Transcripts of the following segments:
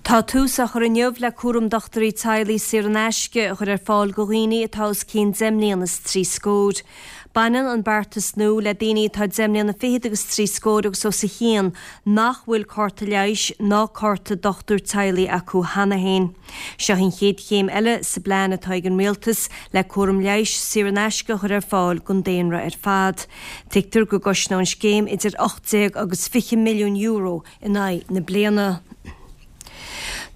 Tá tús á chur inniu le cúram dochtúirí teaghlaigh saor in aisce a chur ar fáil go dhaoine atá os cionn deich mbliana is trí scór. Baineann an beartas nua le daoine atá deich mbliana fichead agus trí scór agus os a chionn nach bhfuil cárta leighis ná cárta dochtúir teaghlaigh acu cheana féin. Seo an chéad chéim eile sa bplean atá ag an Rialtas le cúram leighis saor in aisce a chur ar fáil don daonra ar fad. Tuigtear go gcosnóidh an scéim idir 18 agus 20 milliún euro in aghaidh na bliana.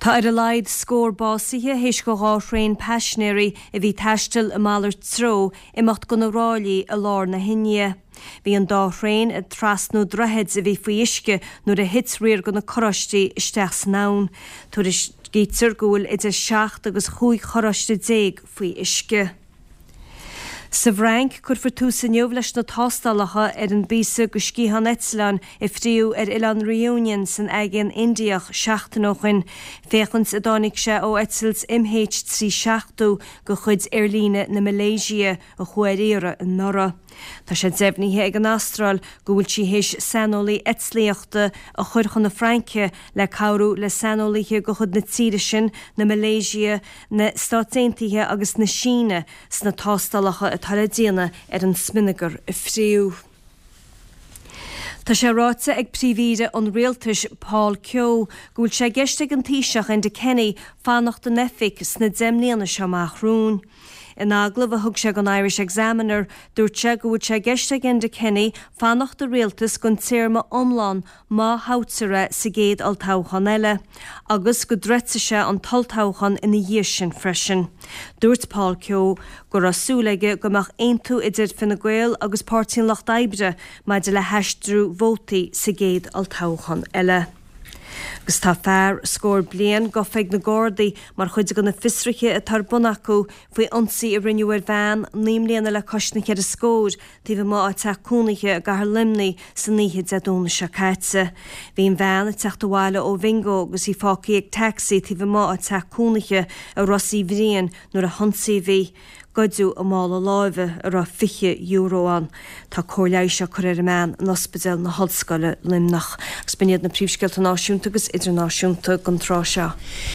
Tá ar a laghad scór básaithe théis go 2 thraein paisinéirí a bhí ag taisteal i malairt treo imeacht go na ráillí i lár na hIndia. Bhí an dá thraein ag trasnú droichid a bhí faoi uisce nuair a thit riar go na carráistí isteach san abhainn. Tuairiscítear go bhfuil idir 17 agus 15 charráiste faoi uisce. Sa bhFrainc, cuirfear tús inniu leis na tástálacha ar an bpíosa de sciathán eitleáin a fríodh ar oileán Reunion san Aigéan Indiach seachtain ó shoin, féachaint an dtáinig sé ó eitilt MH370 de chuid aerlíne na Malaysia a chuaigh ar iarraidh anuraidh. Tá sé deimhnithe ag an Astráil go bhfuil sí théis saineolaí eitlíochta a chur chun na Fraince le cabhrú le saineolaithe de chuid na tíre sin, na Malaysia, na Stát Aontaithe agus na Síne sna tástálacha atá le déanamh ar an smionagar a fríodh. Tá sé ráite ag Príomh-Aoire an Rialtais, Paul Kehoe, go bhfuil sé i gceist ag an Taoiseach, Enda Kenny, fanacht in oifig sna 10 mbliana seo amach romhainn. In agallamh a thug sé don Irish Examiner, dúirt sé go bhfuil sé i gceist ag Enda Kenny fanacht i rialtas don téarma iomlán má thoghtar é sa gcéad olltoghchán eile, agus go dtroidfidh sé an t-olltoghchán ina dhiaidh sin freisin. Dúirt Paul Kehoe go raibh súil aige go mbeadh aontú idir Fine Gael agus Páirtí an Lucht Oibre maidir le haistriú vótaí sa gcéad olltoghchán eile. Agus tá fear scór bliain gafa ag na Gardaí mar chuid de na fiosruithe atá ar bun acu faoi ionsaí a rinneadh ar bhean 9 mbliana le cois na ceithre scór taobh amuigh dá teach cónaithe i gcathair Luimnigh san oíche Dé Domhnaigh seo caite. Bhí an bhean ag teacht abhaile ó bhingo agus í fágtha ag tacsaí taobh amuigh dá teach cónaithe i Ros Uí Bhriain nuair a hionsaíodh í. Goideadh a mála láimhe a raibh €20 ann. Tá cóir leighis á cur ar an mbean in Ospidéal na hOllscoile, Luimneach. Agus b'in iad na príomhscéalta náisiúnta agus idirnáisiúnta don tráth seo.